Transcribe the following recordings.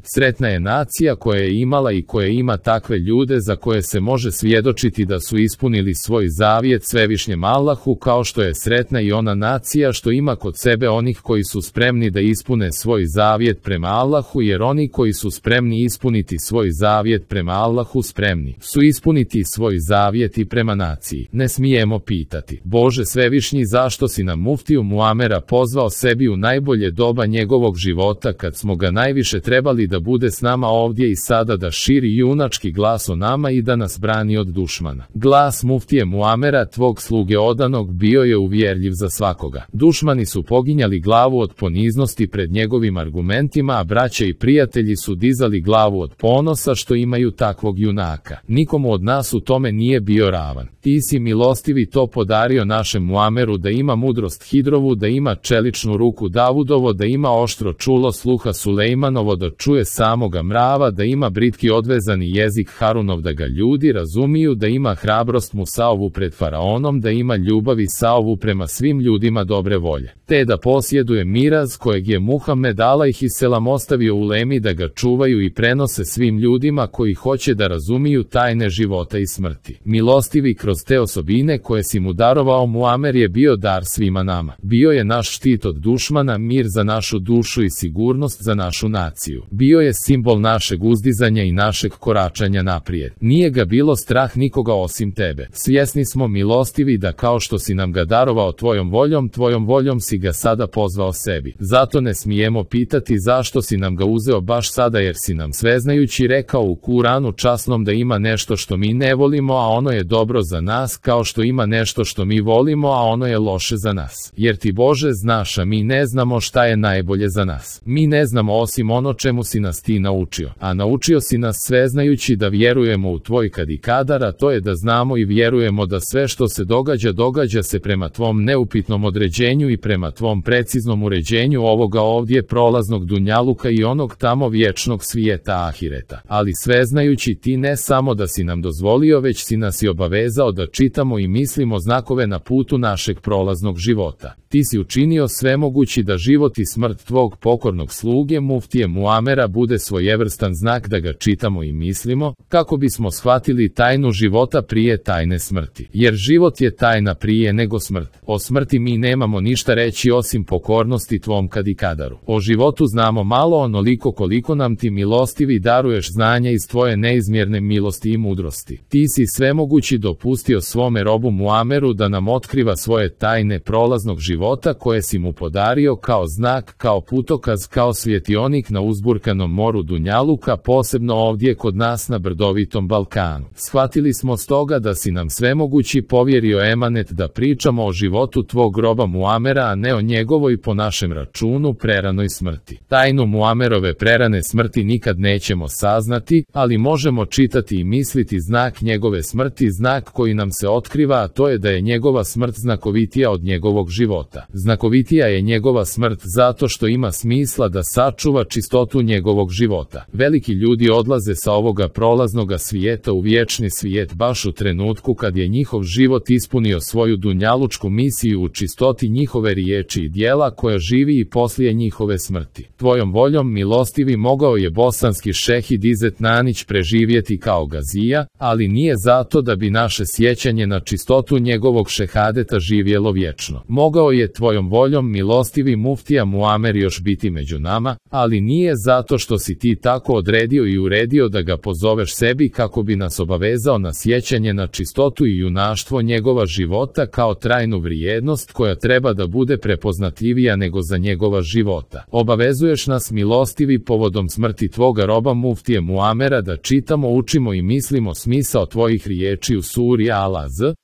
Sretna je nacija koja je imala i koja ima takve ljude za koje se može svjedočiti da su ispunili svoj zavjet svevišnjem Allahu, kao što je sretna i ona nacija što ima kod sebe onih koji su spremni da ispune svoj zavjet prema Allahu, jer oni koji su spremni ispuniti svoj zavjet prema Allahu spremni su ispuniti svoj zavjet i prema naciji. Ne smijemo pitati: Bože svevišnji, zašto si nam muftiju Muamera pozvao sebi u najbolje doba njegovog života, kad smo ga najviše trebali da bude s nama ovdje i sada, da širi junački glas o nama i da nas brani od dušmana. Glas muftije Muamera, tvog sluge odanog, bio je uvjerljiv za svakoga. Dušmani su poginjali glavu od poniznosti pred njegovim argumentima, a braća i prijatelji su dizali glavu od ponosa što imaju takvog junaka. Nikomu od nas u tome nije bio ravan. Ti si, milostivi, to podario našem Muameru, da ima mudrost Hidrovu, da ima čeličnu ruku Davudovo, da ima oštro čulo sluha Sulejmanovo, da čuje samoga mrava, da ima britki odvezani jezik Harunov, da ga ljudi razumiju, da ima hrabrost Musaovu pred faraonom, da ima ljubav Isaovu prema svim ljudima dobre volje, te da posjeduje miraz kojeg je Muhammed alejhiselam ostavio u Lemi da ga čuvaju i prenose svim ljudima koji hoće da razumiju tajne života i smrti. Milostivi, kroz te osobine koje si mu darovao, Muamer je bio dar svima nama. Bio je naš štit od dušmana, mir za našu dušu i sigurnost za našu naciju. Bio je simbol našeg uzdizanja i našeg koračanja naprijed. Nije ga bilo strah nikoga osim tebe. Svjesni smo, milostivi, da kao što si nam ga darovao tvojom voljom si ga sada pozvao sebi. Zato ne smijemo pitati zašto si nam ga uzeo baš sada, jer si nam sveznajući rekao u Kuranu časnom da ima nešto što mi ne volimo, a ono je dobro za nas, kao što ima nešto što mi volimo, a ono je loše za nas. Jer ti, Bože, znaš, a mi ne znamo šta je najbolje za nas. Mi ne znamo osim ono čemu si nas ti naučio. A naučio si nas sveznajući da vjerujemo u tvoj kad i kadar, a to je da znamo i vjerujemo da sve što se događa se prema tvom neupitnom određenju i prema tvom preciznom uređenju ovoga ovdje prolaznog dunjaluka i onog tamo vječnog svijeta ahireta. Ali sveznajući ti ne samo da si nam dozvolio, već si nas i obavezao da čitamo i mislimo znakove na putu našeg prolaznog života. Ti si učinio svemogući da život i smrt tvog pokornog sluge muftije Muamera bude svojevrstan znak da ga čitamo i mislimo, kako bismo shvatili tajnu života prije tajne smrti. Jer život je tajna prije nego smrt. O smrti mi nemamo ništa reći osim pokornosti tvom kad i kadaru. O životu znamo malo, onoliko koliko nam ti, milostivi, daruješ znanja iz tvoje neizmjerne milosti i mudrosti. Ti si svemogući dopustio svome robu Muameru da nam otkriva svoje tajne prolaznog života koje si mu podario kao znak, kao putokaz, kao svjetionik na uzburkanom moru dunjaluka, posebno ovdje kod nas na brdovitom Balkanu. Shvatili smo stoga da si nam svemogući povjerio emanet da pričamo o životu tvog roba Muamera, a ne o njegovoj, po našem računu, preranoj smrti. Tajnu Muamerove prerane smrti nikad nećemo saznati, ali možemo čitati i misliti znak njegove smrti, znak koji nam se otkriva, a to je da je njegova smrt znakovitija od njegovog života. Znakovitija je njegova smrt zato što ima smisla da sačuva čistotu njegovog života. Veliki ljudi odlaze sa ovoga prolaznoga svijeta u vječni svijet baš u trenutku kad je njihov život ispunio svoju dunjalučku misiju u čistoti njihove riječi i djela koja živi i poslije njihove smrti. Tvojom voljom, milostivi, mogao je bosanski šehid Izet Nanić preživjeti kao gazija, ali nije zato da bi naše sjećanje na čistotu njegovog šehadeta živjelo vječno. Mogao je tvojom voljom, milostivi, muftija Muamer još biti među nama, ali nije zato što si ti tako odredio i uredio da ga pozoveš sebi kako bi nas obavezao na sjećanje na čistotu i junaštvo njegova života kao trajnu vrijednost koja treba da bude prepoznatljivija nego za njegova života. Obavezuješ nas, milostivi, povodom smrti tvoga roba muftije Muamera da čitamo, učimo i mislimo smisao tvojih riječi u suri Al-Azb,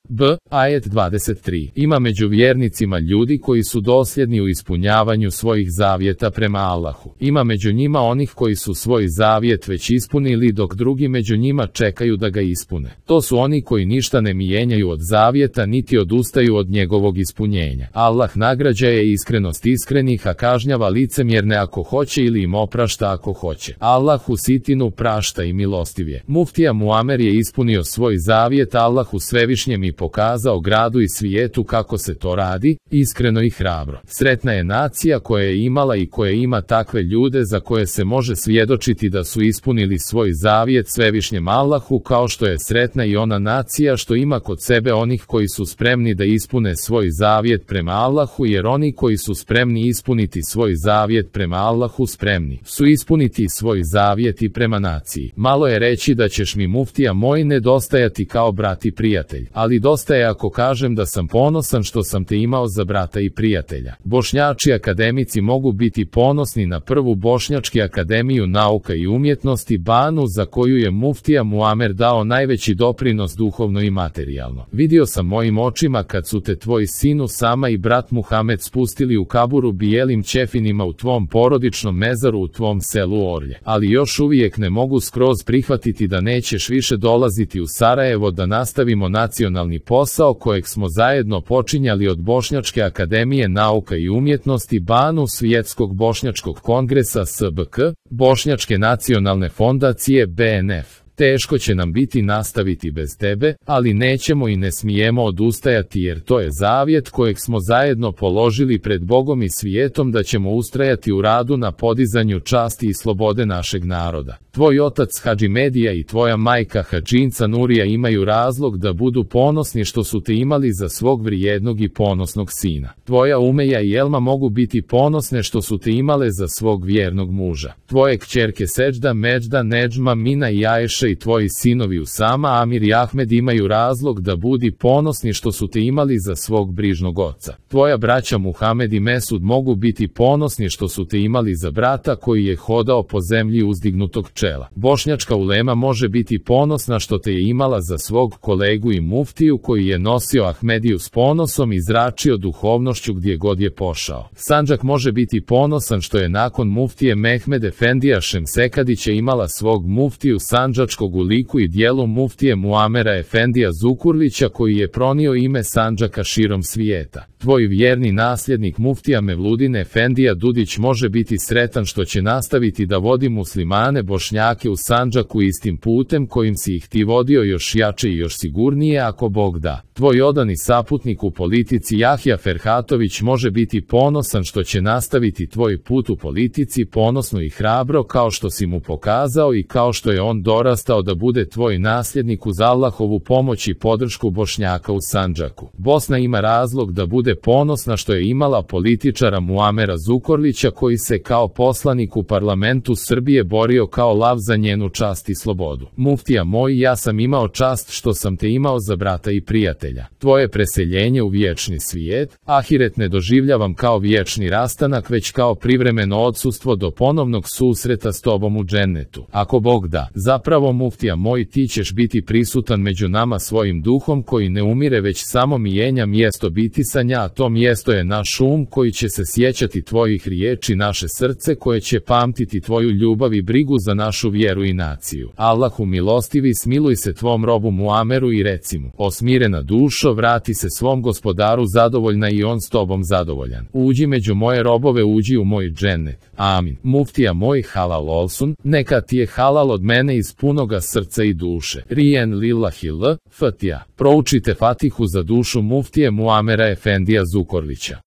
ajet 23. Ima među vjernicima ljudi koji su dosljedni u ispunjavanju svojih zavjeta prema Allahu. Ima među njima onih koji su svoj zavjet već ispunili, dok drugi među njima čekaju da ga ispune. To su oni koji ništa ne mijenjaju od zavjeta niti odustaju od njegovog ispunjenja. Allah nagrađaje iskrenost iskrenih, a kažnjava licemjerne ako hoće ili im oprašta ako hoće. Allah u sitinu prašta i milostiv je. Muftija Muamer je ispunio svoj zavjet Allahu svevišnjem i pokazao gradu i svijetu kako se to radi, iskreno i hrabro. Sretna je nacija koja je imala i koja ima takve ljude za koje se može svjedočiti da su ispunili svoj zavjet svevišnjem Allahu, kao što je sretna i ona nacija što ima kod sebe onih koji su spremni da ispune svoj zavjet prema Allahu, jer oni koji su spremni ispuniti svoj zavjet prema Allahu spremni su ispuniti svoj zavjet i prema naciji. Malo je reći da ćeš mi, muftija moj, nedostajati kao brat i prijatelj, ali dosta je ako kažem da sam ponosan što sam te imao za brata i prijatelja. Bošnjači akademici mogu biti ponosni na prvu Bošnjački akademiju nauka i umjetnosti Banu, za koju je muftija Muamer dao najveći doprinos duhovno i materijalno. Vidio sam mojim očima kad su te tvoj sin Usama i brat Muhamed spustili u kaburu bijelim ćefinima u tvom porodičnom mezaru u tvom selu Orlje, ali još uvijek ne mogu skroz prihvatiti da nećeš više dolaziti u Sarajevo da nastavimo nacionalni posao kojeg smo zajedno počinjali od Bošnjačke akademije nauka i umjetnosti Banu, Svjetskog bošnjačkog kongresa SBK, Bošnjačke nacionalne fondacije BNF. Teško će nam biti nastaviti bez tebe, ali nećemo i ne smijemo odustajati jer to je zavjet kojeg smo zajedno položili pred Bogom i svijetom da ćemo ustrajati u radu na podizanju časti i slobode našeg naroda. Tvoj otac Hadžimedija i tvoja majka Hadžinca Nurija imaju razlog da budu ponosni što su te imali za svog vrijednog i ponosnog sina. Tvoja Umeja i Elma mogu biti ponosne što su te imale za svog vjernog muža. Tvoje kćerke Seđda, Međda, Neđma, Mina i Ajše i tvoji sinovi Usama, Amir i Ahmed imaju razlog da budi ponosni što su te imali za svog brižnog oca. Tvoja braća Muhamed i Mesud mogu biti ponosni što su te imali za brata koji je hodao po zemlji uzdignutog čela. Bošnjačka ulema može biti ponosna što te je imala za svog kolegu i muftiju koji je nosio Ahmediju s ponosom i zračio duhovnošću gdje god je pošao. Sandžak može biti ponosan što je nakon muftije Mehmed Efendija Šemsekadića imala svog muftiju sandžačkog u liku i dijelu muftije Muamera Efendija Zukurlića koji je pronio ime Sandžaka širom svijeta. Tvoj vjerni nasljednik muftija Mevludin Efendija Dudić može biti sretan što će nastaviti da vodi muslimane Bošnjake u Sandžaku istim putem kojim si ih ti vodio još jače i još sigurnije ako Bog da. Tvoj odani saputnik u politici Jahja Ferhatović može biti ponosan što će nastaviti tvoj put u politici ponosno i hrabro kao što si mu pokazao i kao što je on dorastao da bude tvoj nasljednik uz Allahovu pomoć i podršku Bošnjaka u Sandžaku. Bosna ima razlog da bude ponosna što je imala političara Muamera Zukorlića koji se kao poslanik u parlamentu Srbije borio kao lav za njenu čast i slobodu. Muftija moj, ja sam imao čast što sam te imao za brata i prijatelja. Tvoje preseljenje u vječni svijet, ahiret ne doživljavam kao vječni rastanak već kao privremeno odsustvo do ponovnog susreta s tobom u džennetu. Ako Bog da, zapravo muftija moj, ti ćeš biti prisutan među nama svojim duhom koji ne umire već samo mijenja mjesto bitisanja, a to mjesto je naš koji će se sjećati tvojih riječi, naše srce koje će pamtiti tvoju ljubav i brigu za našu vjeru i naciju. Allahu milostivi, smiluj se tvom robu Muameru i reci mu: o smirena dušo, vrati se svom gospodaru zadovoljna i on s tobom zadovoljan. Uđi među moje robove, uđi u moj džennet. Amin. Muftija moj, halal olsun, neka ti je halal od mene iz punoga srca i duše. Rijen lillahi l, Fatiha. Proučite Fatihu za dušu muftije Muamera Efendija Zukorlića.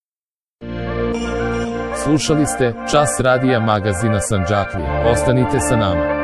Slušali ste Čas radija magazina Sandžaklija. Ostanite sa nama.